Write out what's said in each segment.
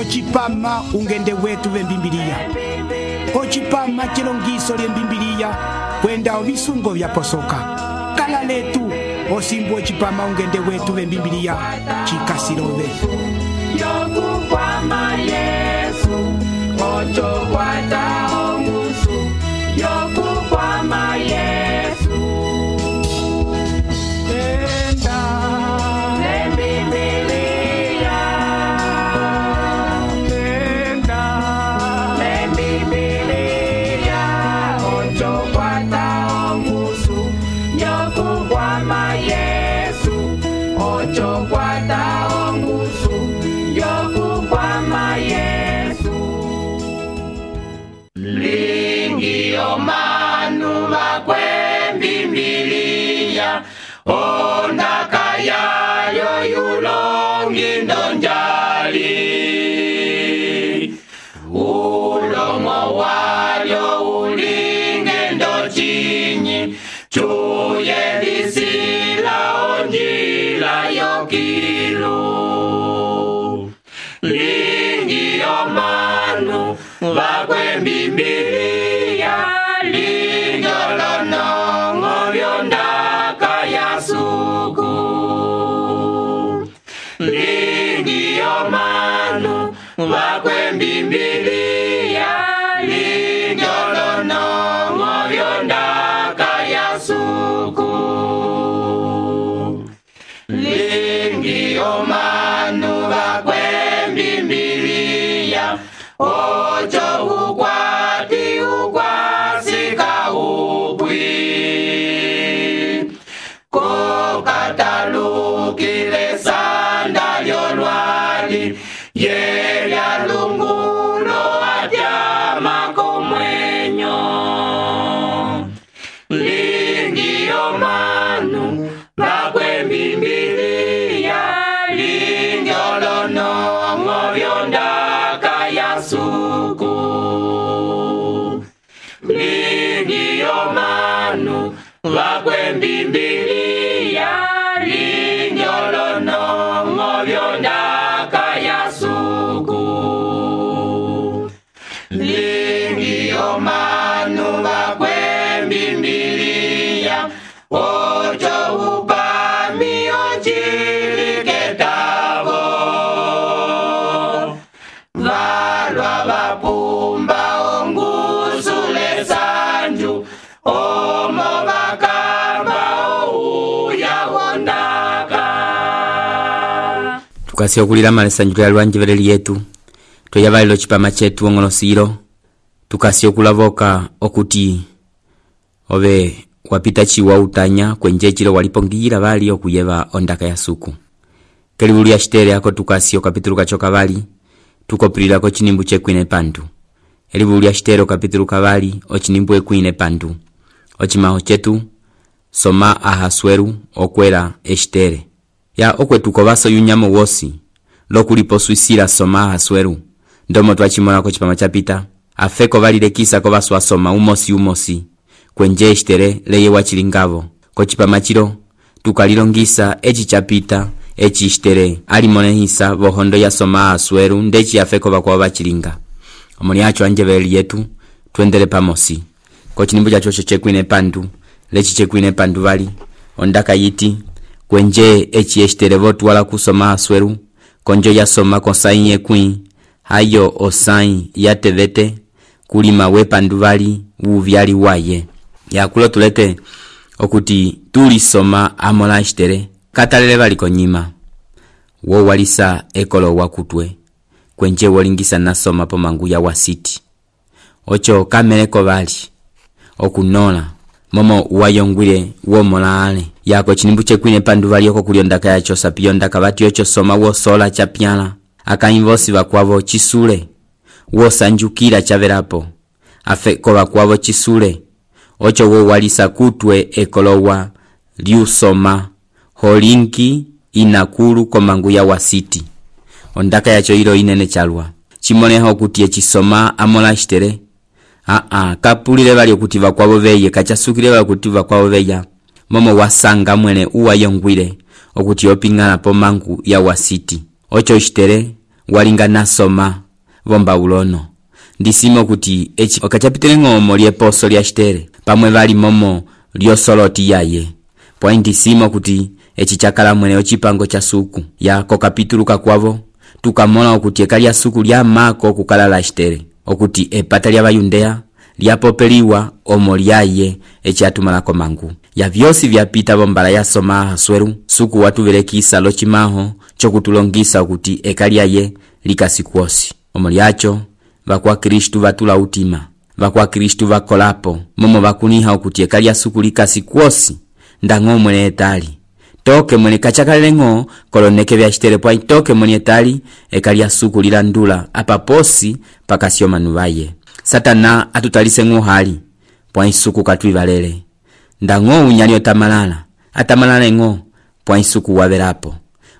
Ochipama ungende wetu vembimbilia. Ochipama chilongiso lyembimbilia kwenda ovisungo vya posoka. Kala letu osimbu ochipama ungende wetu vembimbilia chikasilove. Yokukwama Yesu, ocho kwata ongusu. Yokukwama Yesu. Tenda lembibilia. Tenda lembibilia. Ocho kwata ongusu. Yokukwama Yesu, ocho kwata ongusu. Yokukwama Yesu. Lingi omanu bakwembimbilia. Onda kaya yo yulongi ndonjali. Ulomo walyo ulinge ndochinyi. Chuye lisila onjila yokilu. Lingi omanu bakwembimbilia. Linjolonongo vyondaka ya suku. Lingi omanu bakwembimbilia. Linjolonongo vyondaka ya suku. Lingi omanu bakwembimbilia. Ocho ukwati ukwasika upwi. Kokatalukile sanda lyolwali. Yelya lungulo atyama komwenyo. Lingi omanu bakwembimbilia. Linjolonongo vyondaka ya suku. Lingi omanu bakwembimbilia. Linjolonongo vyondaka ya suku. Lingi omanu bakwembimbilia. Ocho upami ochiliketavo. Valwa vapumba ongusule sanju. Omo bakamba ouya wondaka. Tukasi okulira malesanju ya lwanjevere lyetu. Toyabalilo chipama chetu ongonosiro. Tukasi okulavoka okuti obe wapita chiwa utanya kwenje chilo walipongira bali okuyeva ondaka ya suku. Kelibuli ya shitere yako tukasi okapituluka chokabali. Tukopilira ko chinimbu chekwine pandu. Elibuli ya shitere okapituluka bali ochinimbu ekwine pandu. Ochimaho chetu soma ahasweru okwera eshitere. Ya okwetuko baso yunyamo wosi. Lokulipo suisira soma ahasweru. Ndomo twachimona ko chipama chapita. Afeko balile kisa ko baso asoma umosi. Kwenje eshitere leye wachilingavo. Ko chipama chiro tukalilongisa echi chapita echi eshitere alimone hisa bohondo ya soma ahasweru ndechi afeko bakwa bachilinga. Omoni acho anjeveli yetu tuendele pamosi. Ko chinimbu chacho chekwine pandu. Lechi chekwine pandu bali ondaka yiti kwenje echi eshitere votu wala kusoma ahasweru. Konjo ya soma konsayi ekwi. Hayo osayi ya tevete kulima we pandu bali uvyali waye. Ya kulo tulete okuti tuli soma amola eshitere katalele bali konyima. Wo walisa ekolo wakutwe. Kwenje wolingisa nasoma po mangu ya wasiti. Ocho kameleko bali okunola momo wayongwile wo molale. Yako chinimbu chekwine pandu bali oko kuliondaka yacho sapiyondaka bati ocho soma wo sola chapyala. Akainvosi bakwavo chisule. Wo sanjukira chaverapo. Afeko bakwavo chisule. Ocho wo walisa kutwe ekolowa liusoma holinki inakulu komangu ya wasiti. Ondaka yacho ilo inene chalwa. Chimoneho kuti echisoma amola shitere. Kapulile bali okuti bakwabo beye kachasukile bali okuti bakwabo beya. Momo wasanga mwene uwa yongwile okuti opingana po mangu ya wasiti. Ocho shitere walinga nasoma vombabulono. Ndisimo kuti echi okachapitile ng'omo lyeposo lya Estere pamwe vali momo lyosoloti yaye. Pwa ndisimo kuti echi chakala mwene ochipango cha suku ya kokapitulu kakwavo tukamona okuti eka lya suku lya mako kukala la Estere okuti epata lya Bayudea lyapopeliwa omo lyaye echi atumalako mangu ya vyosi vyapita bombala yasoma Ahasuero suku watuvelekisa lochimaho chokutulongisa okuti eka lyaye likasikuosi omo lyacho vakwa Kristu vatula utima vakwa Kristu vakolapo momo vakuniha okuti eka lya suku likasikuosi ndang'o mwene etali toke mwene kachakalengo koloneke vya Estere pwa toke mwene etali eka lya suku lilandula apaposi pakasio manuvaye. Satana atutalise ng'ohali pwa isuku katwivalele ndang'o unyani atamalala ng'o pwa isuku waverapo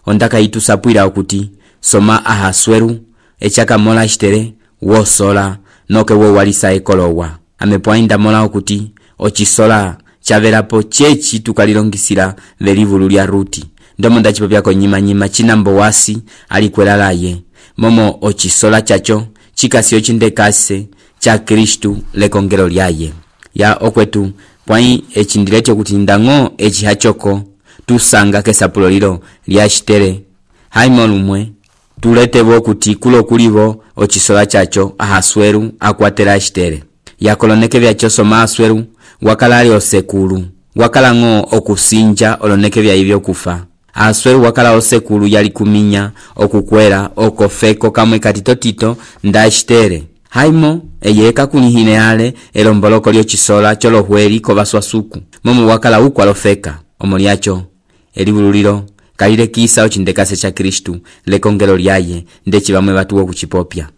ondaka itusapwira okuti soma Ahasuero echaka mola Estere wosola noke wo walisa ekolowa amepwa indamola okuti ochisola chaverapo chechi tukalilongisira velivulu lya Ruti ndomo ndachipopyako nyima chinambo wasi alikwelalaye momo ochisola chacho chikasio chindekase cha Kristu lekongelo lyaye ya okwetu pwai echindilecho kuti ndang'o echi hachoko tusanga kesapulo lilo lya Estere haimo lumwe tuletevo kuti kulo kulivo ochisola chacho Ahasuero akwatela Estere yakoloneke vyacho soma Ahasuero wakalali osekulu wakala ng'o okusinja oloneke vya hivyo kufa. Ahasuero wakala osekulu yali kuminya okukwela okofeko kamwe katitotito nda Estere haimo eyeka kunihine ale elomboloko lyo chisola cholohweli kovaswa suku momo wakala ukwa lofeka omo lyacho elivululilo kalile kisa ochindekase cha Kristu lekongelo lyaye ndechi bamwe batuwo kuchipopya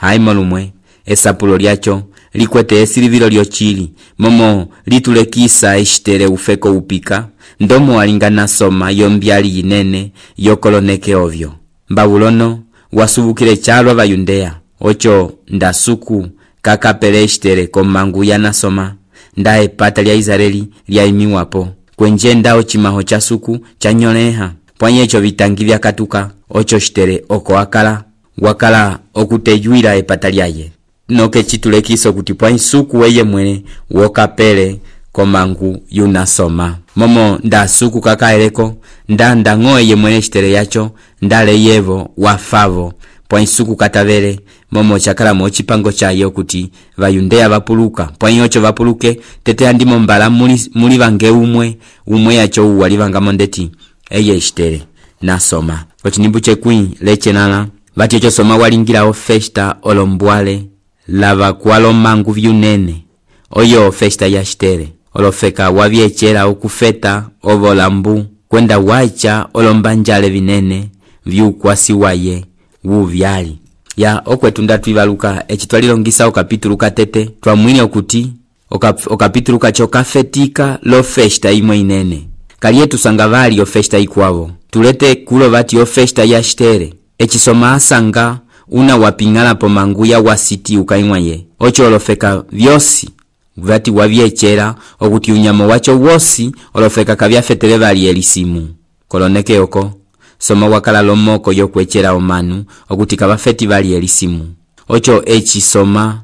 haimo lumwe esapulo lyacho likwete esilivilo lyochili momo litulekisa Estere ufeko upika ndomo walingana soma yombyali yinene yokoloneke ovyo Babulono wasubukile chalwa Bayudea ocho ndasuku kakapele Estere komangu yanasoma nda epata lya Israeli lyaimiwapo kwenjenda ochimaho cha suku chanyoleha pwanyecho vitangi vya katuka ocho Estere oko wakala okuteyuira epata lyaye noke chitulekiso kuti pwa suku weye mwene wokapele komangu yunasoma momo ndasuku kakaeleko ndang'o ye mwene Estere yacho ndale yevo wafavo pwa suku katavele momo chakala mochipango chaye kuti Bayudea vapuluka pwa yocho vapuluke tete andimo mbala muli vange umwe yacho uwalivanga mondeti eye Estere nasoma ochinimbu chekwi lechenala vatyecho soma walingira festa olombwale lava kwalo mangu vyunene oyo festa ya Estere olofeka wavyechera okufeta ovolambu kwenda wacha olombanjale vinene vyukwasi waye wuvyali ya okwetu ndatwivaluka echitwalilongisa okapitulu katete twamwine okuti okapitulu kacho kafetika lo festa imwe inene kalietu sanga vali ofesta ikwavo tulete kulo vati ofesta ya Estere echisoma asanga una wapingala po mangu ya wasiti ukaimwaye ocho olofeka vyosi vati wavyechera okuti unyamo wacho wosi olofeka kavyafetele vali elisimu koloneke oko soma wakala lomoko yokwechera omanu okuti kabafeti vali elisimu ocho echisoma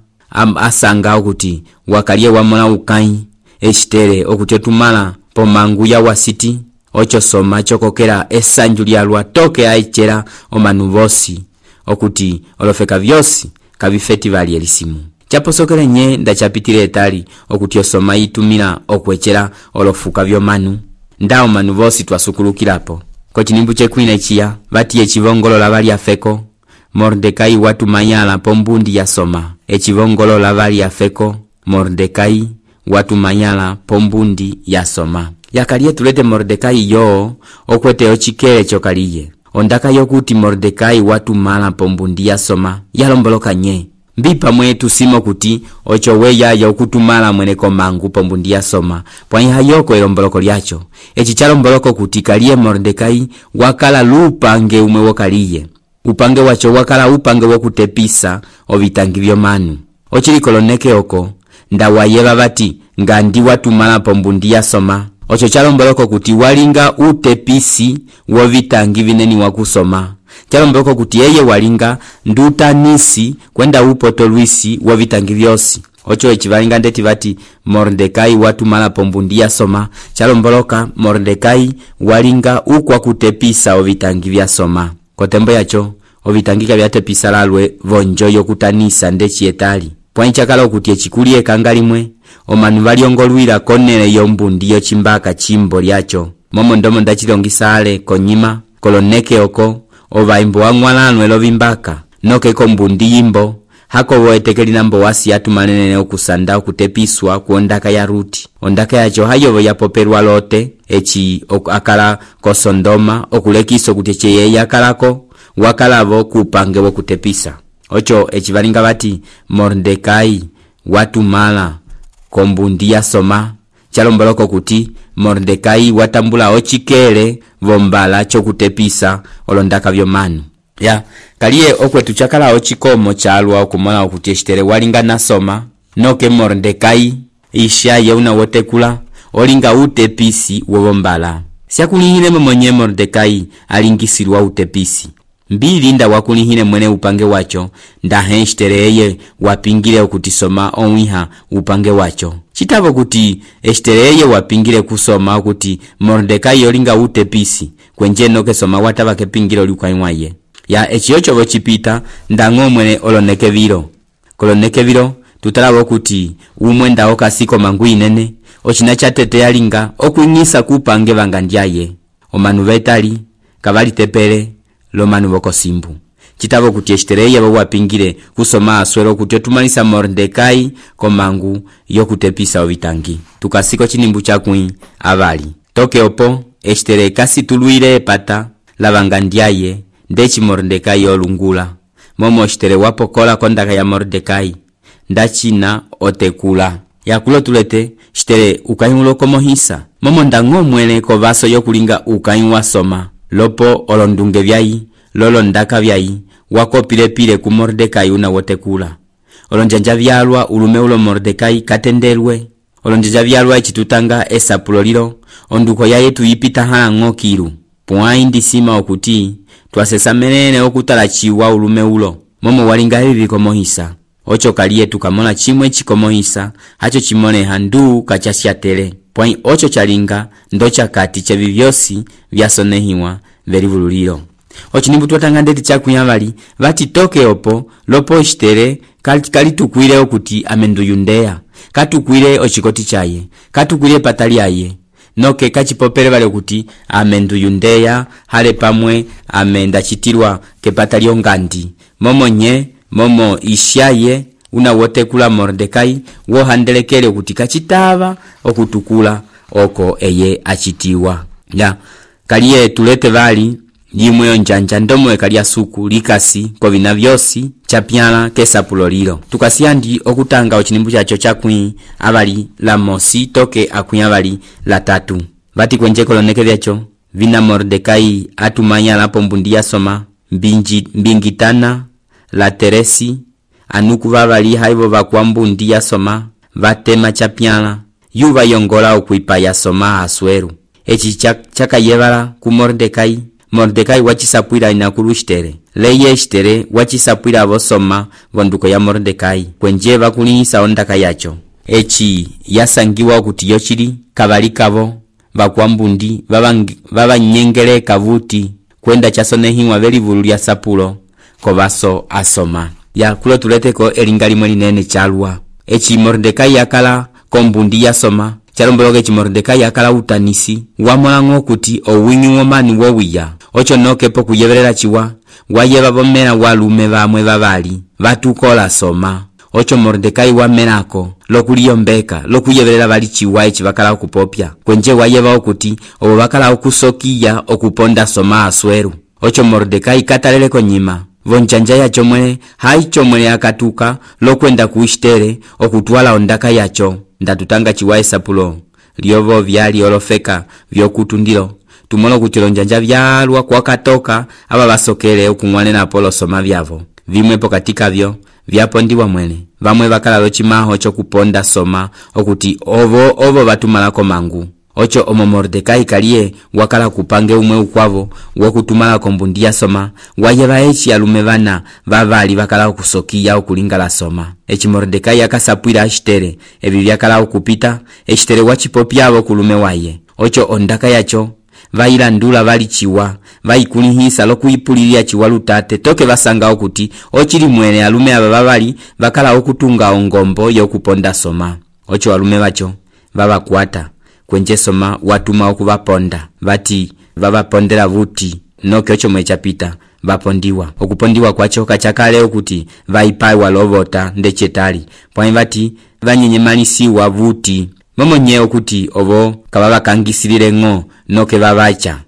asanga okuti wakalie wamona ukai Estere okuti otumala po mangu ya wasiti ocho soma chokokera esanju lyalwa toke aichera omanu vosi okuti olofeka vyosi kabifeti vali elisimu chaposokele nye ndachapitile etali okuti osoma itumila okwechera olofuka vyomanu ndao manu vosi twasukulukilapo kochinimbu chekwine chiya vati echivongolola vali afeko Mordekai watumanyala pombundi ya soma echivongolola vali afeko Mordekai watumanyala pombundi ya soma yakalie tulete Mordekai yo okwete ochikele chokaliye ondaka yokuti Mordekai watumala pombundi ya soma yalomboloka nye mbipa mwetu simo kuti ocho weya ya ukutumala mwene komangu pombundi ya soma pwa ihayoko elomboloko lyacho echichalombolo kuti kalie Mordekai wakala lupange umwe wokaliye upange wacho wakala upange wokutepisa ovitangi vyomanu ochili koloneke oko ndawayeva vati ngandi watumala pombundi ya soma ocho chalomboloko kuti walinga utepisi wovitangi vineni wakusoma chalombeleka kuti eye walinga ndutanisi kwenda upoto lwisi wa vitangi vyosi. Ocho echivalinga ndeti vati Mordekai watumala pombundi ya soma. Chalomboloka Mordekai walinga ukwa kutepisa ovitangi vya soma. Kotembo yacho ovitangika vyatepisa lalwe vonjo yokutanisa ndechi etali. Pwanchakala kuti echikulie kangalimwe omanu valiongolwira konele yombundi yochimbaka chimbo lyacho. Momo ndomo ndachilongisa ale konyima koloneke oko ovaimbo wang'walanwe lovimbaka noke kombundi yimbo hako woetekeli nambo wasi atumanene okusanda okutepiswa kuondaka ya Ruti. Ondaka yacho hayovo yapoperwa Lote echi akala kosondoma okulekiso kuti cheye yakalako wakalavo kupange wokutepisa. Ocho echivalinga vati Mordekai watumala kombundi ya soma. Chalomboloko kuti Mordekai watambula ochikele vombala chokutepisa olondaka vyomanu. Ya kaliye okwetu chakala ochikomo chalwa okumona okuti Estere walinga na soma noke Mordekai isha yeuna wotekula olinga utepisi wovombala. Siakulihile mwenye Mordekai alingisirwa utepisi. Mbili nda wakulihile mwene upange wacho ndahe Estere eye wapingile okuti soma onwiha upange wacho. Chitavo kuti Estere eye wapingile kusoma okuti Mordekai olinga utepisi kwenje noke soma watava kepingile olukwaimwaye. Ya echiocho vochipita ndango mwene olonekevilo. Kolonekevilo tutalavo kuti umwenda okasiko mangu inene ochina chatete yalinga okuingisa kupange vangandyaye. Omanu vetali kavali tepele lomanu vokosimbu. Chitavo kuti Estere eye wapingile kusoma aswero kuti otumalisa Mordekai komangu yokutepisa ovitangi. Tukasiko chinimbu chakui avali. Toke opo Estere kasi tuluire epata lavangandyaye ndechi Mordekai olungula. Momo Estere wapokola kondaka ya Mordekai ndachina otekula. Yakulo tulete Estere ukaimulo komohisa. Momo ndango mwene kovaso yokulinga ukaimu wasoma. Lopo olondunge vyai lolo ndaka vyai wakopile ku Mordekai una wotekula. Olonjanja vyalwa ulume ulo Mordekai katendelwe. Olonjanja vyalwa ichitutanga esapulolilo onduko ya yetu yipita hala ngokiru. Puaindi sima okuti twasesa menene okutala chiwa ulume ulo. Momo walinga hivi komohisa. Ocho kaliye tukamona chimwe chikomohisa hacho chimone handu kachashiatele. Pwai ocho chalinga ndocha kati chevivyosi vyasonehiwa verivululilo. Ocho nimbu tuwatanga ndeti chakuyavali vati toke opo lopo Estere kalitukwile okuti amenduyundeya. Katukwile ochikoti chaye. Katukwile patali aye. Noke kachipopele vale okuti amenduyundeya hale pamwe amenda chitirwa kepatali ongandi. Momo ishaye una wotekula Mordekai wohandelekele okuti kachitava okutukula oko eye achitiwa. Ya kaliye tulete vali yimwe onjanja ndomwe kalia suku likasi kovina vyosi chapyala kesapulolilo. Tukasiandi okutanga ochinimbu chacho chakui avali la mosi toke akuya avali la tatu. Vati kwenje koloneke vyacho vina Mordekai atumanya la pombundi ya soma mbingitana la teresi anuku vavali haivo vakuambundi ya soma vatema chapyala yuva yongola okuipa ya soma asweru. Echi chakayevala ku Mordekai. Mordekai wachisapwila inakulu Estere. Leye Estere wachisapwila avosoma vonduko ya Mordekai kwenje vakulihisa ondaka yacho. Echi yasangiwa okuti yochili kavalikavo vakuambundi vavanyengele kavuti kwenda chasonehiwa velivulu lya sapulo kovaso asoma. Ya kulo tuleteko elingalimwe linene chalwa. Echi Mordekai yakala kombundi yasoma. Chalomboloke echi Mordekai yakala utanisi wamolango kuti owingi womani wowiya. Ocho nokepo kuyevelela chiwa wayeva bomera walume vamwe vavali vatukola soma. Ocho Mordekai wamenako lokuliyombeka lokuyevelela vali chiwa echi vakala okupopya kwenje wayeva okuti obo vakala okusokiya okuponda soma asweru. Ocho Mordekai katalele konyima vonjanja yacho mwene haicho mwene akatuka lokwenda ku Estere okutwala ondaka yacho ndatutanga chiwa esapulo lyovo vyali olofeka vyokutundilo. Tumono kuti lonjanja vyalwa kwa katoka aba basokele okungwanena apolo soma vyavo. Vimwe pokatika vyo vyapondiwa mwene. Vamwe bakala lochimaho chokuponda soma okuti ovo batumalako mangu. ocho omo Mordekai kaliye wakala kupange umwe ukwavo wokutumala kombundi ya soma wayeva eci alume vana vavali vakala okusokiya okulingala soma. Eci Mordekai akasapwila Ashitere evi vyakala okupita Eshitere wachipopyavo kulume waye. Ocho ondaka yacho vayilandula vali chiwa vayikulihisa lokuyipulilia chiwa lutate toke vasanga okuti ochili mwene alume aba vavali vakala okutunga ongombo yokuponda soma. Ocho alume vacho vavakwata kwenje soma watuma okuvaponda vati vavapondela vuti noke ocho mwechapita vapondiwa. Okupondiwa kwacho kachakale okuti vaipaiwa lovota ndechetali pwani vati vanyenyemalisiwa vuti momo nye okuti ovo kavavakangisilile ng'o noke vavacha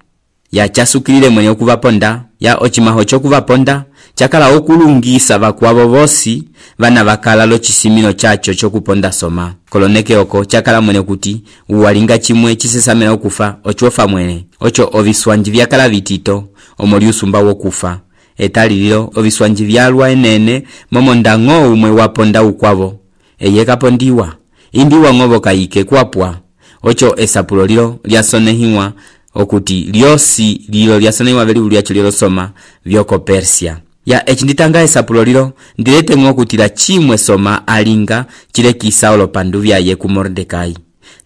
ya chasukilile mwenye okuvaponda ya ochimaho chokuvaponda chakala okulungisa vakwavo vosi vana vakala lochisimino chacho chokuponda soma. Koloneke oko chakala mwene kuti uwalinga chimwe chisesamela okufa ochofa mwene. Ocho oviswanji vyakala vitito omoli usumba wokufa etalililo oviswanji vyalwa enene momo ndang'o umwe waponda ukwavo eye kapondiwa imbiwa ng'ovo kayike kwapwa. Ocho esapulo lilo lyasonehiwa okuti lyosi lilo lyasonehiwa veli ulyacho lilo soma vyoko Persia. Ya echinditanga esapulo lilo ndilete ng'okutila chimwe soma alinga chile kisaulo pandu vyaye ku Mordekai.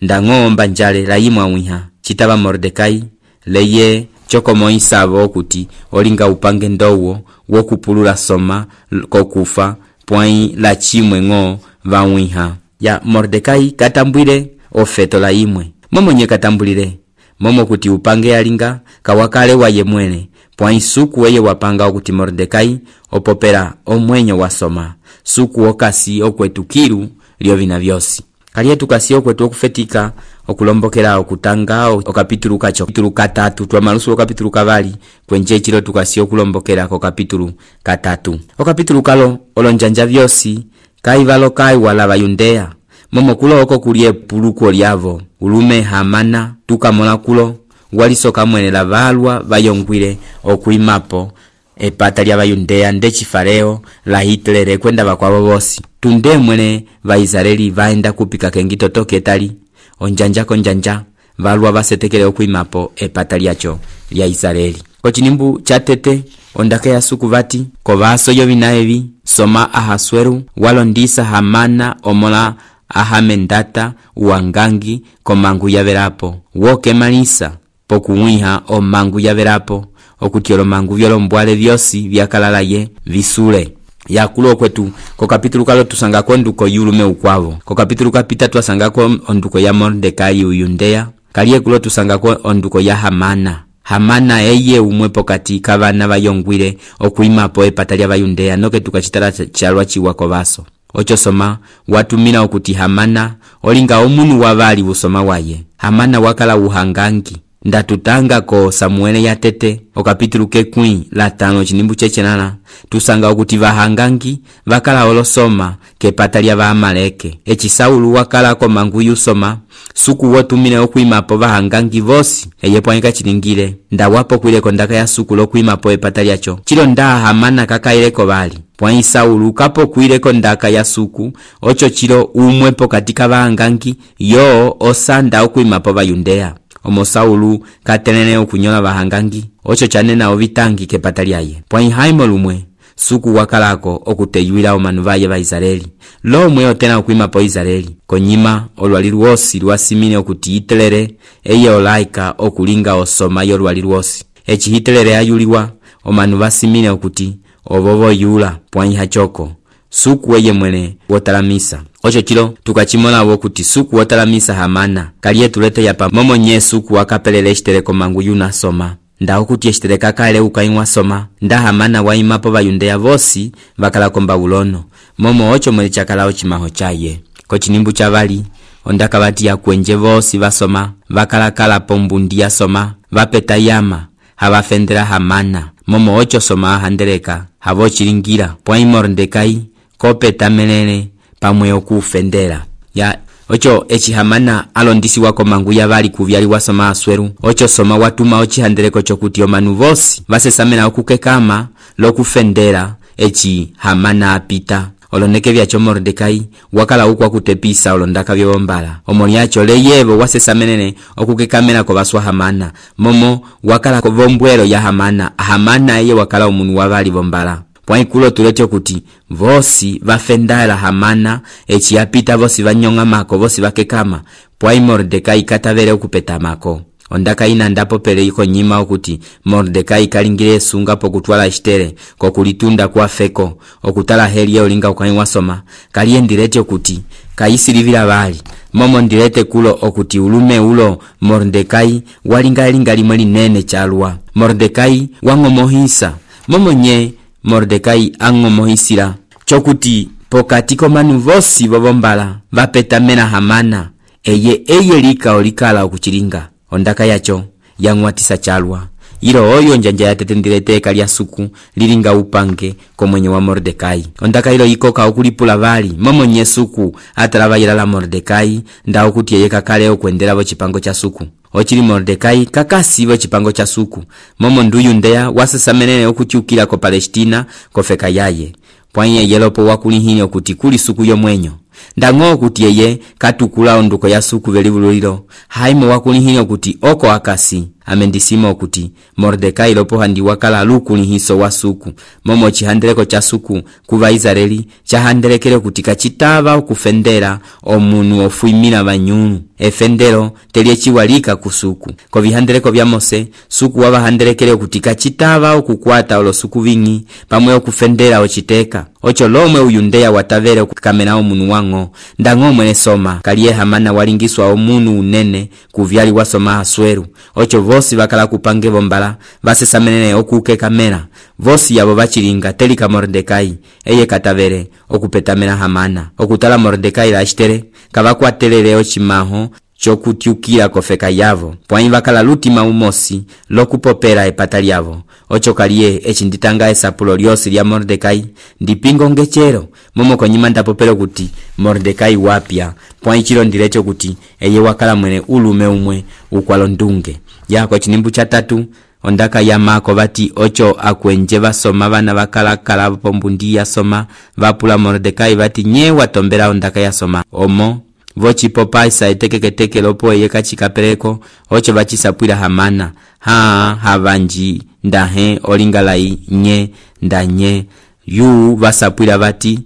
Ndang'o mbanjale la yimwa wiha chitava Mordekai leye choko moisavo okuti olinga upange ndowo wokupulula soma kokufa pwai la chimwe ng'o vawiha. Ya Mordekai katambwile ofeto la imwe momo nye katambulile momo kuti upange alinga kawakale waye mwene pwai suku weye wapanga okuti Mordekai opopera omwenyo wa soma suku okasi okwetukilu lyo vina vyosi kaliye tukasi okwetu okufetika okulombokela okutanga okapitulu kacho kapitulu katatu twamalusu okapitulu kavali kwenje chilo tukasi okulombokela kokapitulu katatu. Okapitulu kalo olonjanja vyosi kaivalo kaiwala vayundea momo kulo oko kulie puluko lyavo ulume Hamana tukamola kulo walisoka mwene la valwa vayongwile okuimapo epata lya vayundea ndechifareo la Hitler kwenda vakwavo vosi tunde mwene vaisraeli vaenda kupika kengito toke tali onjanja konjanja valwa vasetekele okuimapo epata lyacho lya Israeli. Kochinimbu chatete ondaka ya suku vati kovaso yovina evi soma Ahasueru walondisa Hamana omola Ahamendata uangangi komangu yaverapo woke malisa pokuwiha omangu yaverapo okuti olomangu vyolombwale vyosi vyakalalaye visule. Yakulo kwetu ko kapitulu kalo tusanga ko nduko yulume ukwavo. Ko kapitulu kapita twasanga ko onduko ya Mordekai uyundea kaliye kulo tusanga ko onduko ya Hamana eye umwepo kati kavana vayongwile okuimapo epata lya vayundea noke tukachitala chalwa chiwako vaso. Ocho soma watumila okuti Hamana olinga omunu wavali usoma waye. Hamana wakala uhangangi ndatutanga ko Samuele ya tete okapitulu kekwi la 5 chinimbu chechenana tusanga okuti vahangangi vakala olosoma kepata lya Vaamaleke. Echi Saulu wakala ko mangu yusoma suku wotumile okuimapo vahangangi vosi eyepwanika chilingile ndawapo kwile kondaka ya suku lokuimapo epata lyacho chilo nda Hamana kakaileko vali pwai Saulu kapo kwileko ndaka ya suku ocho chilo umwepo katika vahangangi yo osanda okuimapo vayundea. Omo Saulu katelene okunyola vahangangi ocho chanena ovitangi kepata lyaye pwai haimo lumwe suku wakalako okuteyuila omanu vaye va Israeli lomwe otena okuimapo Israeli konyima olwalilu wosi lwasimile okuti Hitler eye olaika okulinga osoma yolwalilu wosi. Echi Hitler ayuliwa omanu vasimile okuti ovovo yula pwai hachoko suku weye mwene wotalamisa. Ocho chilo tukachimola wokuti suku wotalamisa Hamana kaliye tulete yapa momo nye suku wakapelele Eshitere komangu yuna soma nda okuti Eshitere kakale ukainwa soma nda Hamana waimapo vayundea vosi vakala komba ulono momo ocho mwele chakala ochimaho chaye. Kochinimbu chavali ondaka vati ya kwenje vosi vasoma vakala pombundi ya soma vapeta yama havafendera Hamana momo ocho soma handereka havochilingira pwai Mordekai kopeta menene pamwe okufendera. Ya ocho echi Hamana alondisi wako mangu ya vali kuvyali wasoma Asweru ocho soma watuma ochihandereko chokuti omanu vosi vasesamena okukekama lokufendera echi Hamana apita oloneke vyacho Mordekai wakala ukwa kutepisa olondaka vyobombala. Omoni yacho leyevo wasesamenene okukekamela ko baswa Hamana, momo wakala ko vombwelo ya Hamana eye wakala omunu wabali bombala. Pwaikulo tulete kuti vosi vafendala Hamana echi yapita vosi vanyonga mako vosi vakekama, pwai Mordekai katavele okupeta mako. Ondaka ina ndapo pele iko nyima okuti Mordekai kalingile sunga pokutwala Estere kokulitunda kwa feko okutala heli ya ulinga ukani wasoma kaliendirete okuti kayisilivila bali momo ndirete kulo okuti ulume ulo Mordekai walinga limwe linene chalwa. Mordekai wangomohisa momo nye Mordekai angomohisila chokuti pokati komanu vosi bobombala vapetamena Hamana eye lika olikala okuchilinga. Ondaka yacho yangwatisa chalwa ilo oyo njanja yatetendilete kalya suku lilinga upange komwenye wa Mordekai. Ondaka ilo ikoka okulipula bali momo nye suku atalaba la Mordekai nda okuti yeye kakale okwendela bo chipango cha suku. Ochili Mordekai kakasi bo chipango cha suku momo nduyu ndeya wasesamenene okutyukila ko Palestina kofeka yaye. Pwanye yelopo wakulihini okuti kuli suku yomwenyo. Ndango kuti yeye katukula onduko ya suku velivululilo haimo wakulihini okuti oko akasi amendisima okuti Mordekai lopo handi wakala lukulihiso wa suku momo chihandeleko cha suku kuva Israeli chahandelekele kuti kachitava okufendera omunu ofuimila banyunu efendero telie chiwalika kusuku ko vihandeleko vya Mose suku wabahandelekele kuti kachitava okukwata olo suku vingi pamwe okufendera ochiteka ocho lomwe uyundeya watavele okukamena omunu wango. Ndango mwene soma kaliye Hamana walingiswa omunu unene kuvyali wasoma Asweru ocho vosi bakala kupange bombala basesamenene okuke kamera vosi yabo bachilinga telika Mordekai eye katavele okupetamena Hamana okutala Mordekai la Estere kabakwatelele ochimaho chokutyukila kofeka yavo pwai bakala lutima umosi lokupopera epata lyavo ocho kaliye echinditanga esapulo lyosi lya Mordekai ndipingo ngechero momo konyima ndapopelo kuti Mordekai wapya pwai chilo ndilecho kuti eye wakala mwene ulume umwe ukwalo ndunge yako chinimbu cha 3. Ondaka ya mako bati ocho akwenje basoma bana bakala pombundi ya soma vapula Mordekai bati nye watombera ondaka ya soma omo vochi popaisa etekeketeke lopo eye kachikapereko ocho bachisapwila Hamana havanji ndahe olingalai nye ndanye yu basapwila bati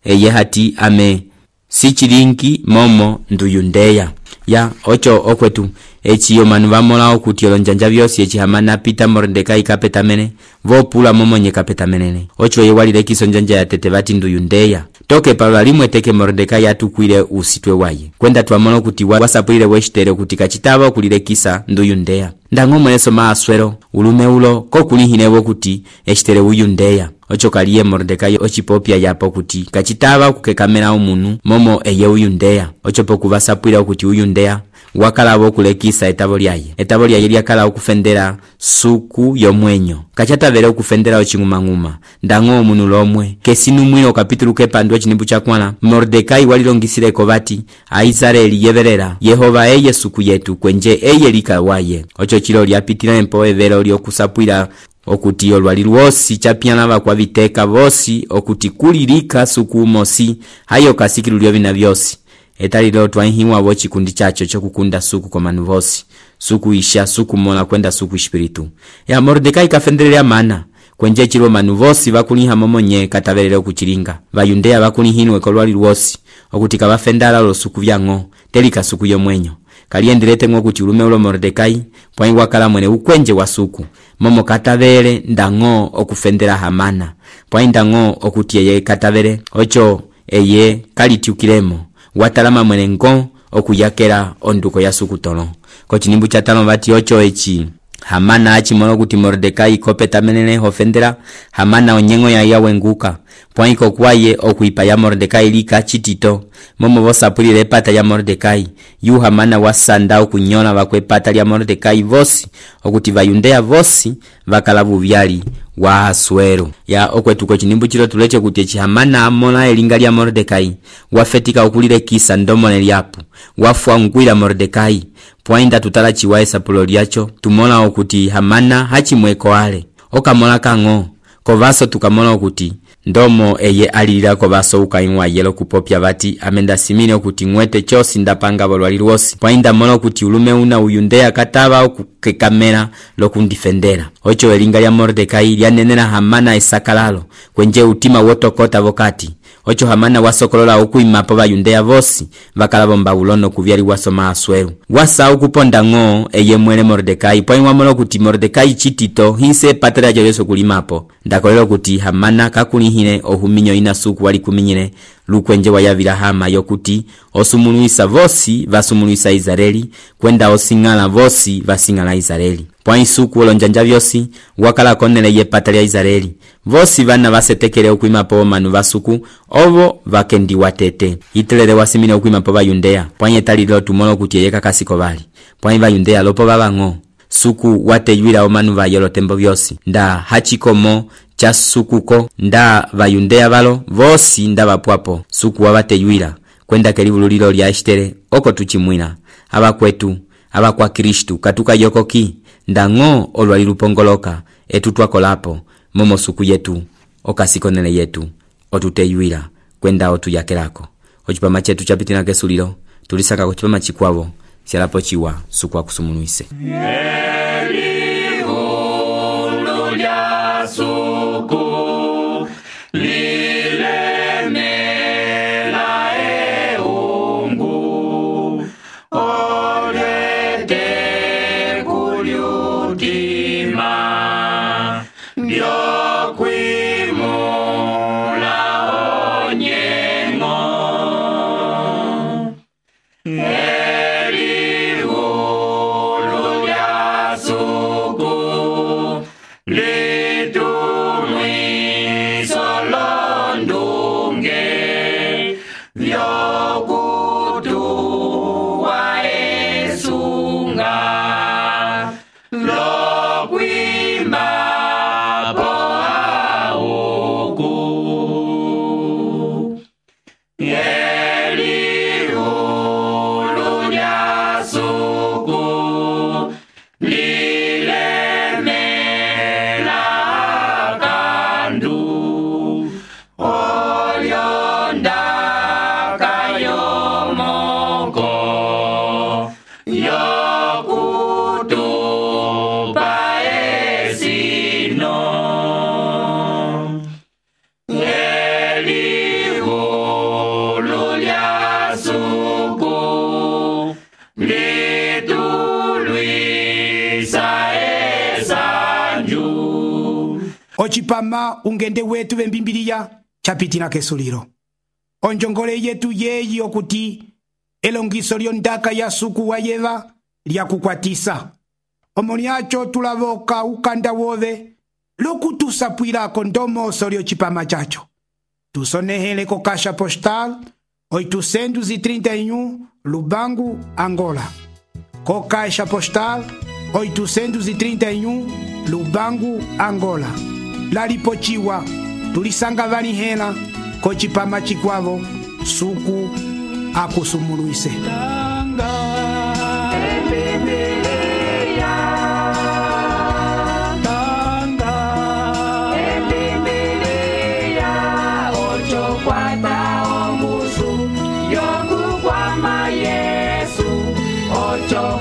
eye hati ame sichilingi momo nduyundeya ya ocho okwetu echiyo manu bamola okuti olonjanja byosi echi Hamana pita Mordekai kapetamene vopula momo nye kapetamenene ocho ye walile kisonjanja ya tete bati nduyundeya toke palwa limwe teke Mordekai atukwile usitwe waye kwenda tuamono kuti wasapwile weshtere kuti kachitaba okulile kisa nduyundeya. Ndango mweneso Aswero ulume ulo kokulihinebo kuti eshtere uyundeya ocho kaliye Mordekai ochipopya yapo kuti kachitaba kukekamera omunu momo eye uyundeya ocho poku basapwila kuti uyundeya wakala bokulekisa etabo lyaye lyakala okufendera suku yomwenyo kachatavele okufendera ochingumanguma. Ndango omunu lomwe kesinu mwino kapitulu kepandwe chinimbu chakwala Mordekai walilongisireko bati Aisraeli yeverera Yehova eye suku yetu kwenje eye lika waye ocho chilo lyapitira empo evero lyokusapwila okuti olwali lwosi chapyana bakwa biteka bosi okuti kulilika suku mosi hayo kasikilu lyo bina byosi etalilo twahiwa bochi kundi chacho chokukunda suku komanu vosi suku isha suku mona kwenda suku espiritu ya Mordekai kafendelea mana kwenje chilo manu vosi bakuliha momonye katavelele okuchilinga bayundeya bakulihinwe kolwali lwosi okuti kabafendala lo suku byango telika suku yomwenyo kaliendelete ngokuti ulume ulo Mordekai pwai wakala mwene ukwenje wa suku momo katavele ndango okufendera Hamana pwai ndango okuti eye katavele ocho eye kalityukilemo watalama mwene ngo okuyakela onduko ya suku tolo ko chinimbu cha 5 bati ocho echi Hamana achimono kuti Mordekai kopetamenene hofendera Hamana onyengo ya yawenguka pwai kokwaye okuipa ya Mordekai lika chitito momo bosapulile pata ya Mordekai yu Hamana wasanda okunyona bakwepata lya Mordekai vosi okuti bayundeya vosi bakala buvyali wa Aswero ya okwetuko chinimbu chilo tuleche kuti echi Hamana amona elinga lya Mordekai wafetika okulile kisa ndomone lyapu wafwangwila Mordekai pwainda tutala chiwae sapulo lyacho tumona okuti Hamana hachimweko ale okamona kango kovaso tukamona okuti ndomo eye alililako basouka inwa yelo kupopya bati amenda simine okuti ng'wete chosi ndapanga bolwali lwosi pwainda mola okuti ulume una uyundeya kataba okukekamela lokundifendera ocho elinga lya Mordekai lyanenela Hamana esakalalo kwenje utima wotokota vokati ocho Hamana wasokolola okuimapo bayundeya vosi bakala bombabulono kuvyali wasoma asweru wasa ukuponda ng'o eye mwele Mordekai pwainwa mola okuti Mordekai chitito hinse patela joleso kulimapo ndakolelo okuti Hamana kakulihile ohuminyo ina suku wali kuminyile lukwenje wayavila hama yokuti osumuluisa vosi vasumuluisa Israeli kwenda osingala vosi vasingala Israeli pwai suku olonjanja vyosi wakala konele ye pata lya Israeli vosi vana vasetekele okuimapo manu vasuku ovo vakendi watete itelele wasimine okuimapo bayundeya pwai talilo tumolo kuti yeka kasiko bali pwai bayundeya lopo babang'o suku wateyuila omanu vayelo tembo vyosi nda hachikomo cha sukuko nda bayundeya balo vosi nda bapwapo suku wabateyuila kwenda kelibululilo lya Estere oko tuchimwina abakwetu abakwa Kristu katuka yokoki ndang'o olwali lupongoloka etutwakolapo momo suku yetu okasikonele yetu otuteyuila kwenda otuyakelako ochipama chetu chapitina kesulilo tulisaka kuchipama chikwavo sialapo chiwa suku akusumuluise ochipama ungende wetu bembimbiriya chapitina kesulilo onjongole yetu yeyi okuti elongiso lyondaka ya suku wa yeva lyakukwatisa omolyacho tulavoka ukanda wove lokutusapwilako ndomoso lyochipama chacho tusonehele ko Caixa Postal 831 Lubangu, Angola. Co Caixa Postal 831 Lubangu, Angola. Lalipochiwa tulisanga valihela ko chipama chikwavo suku akusumuluise. Yo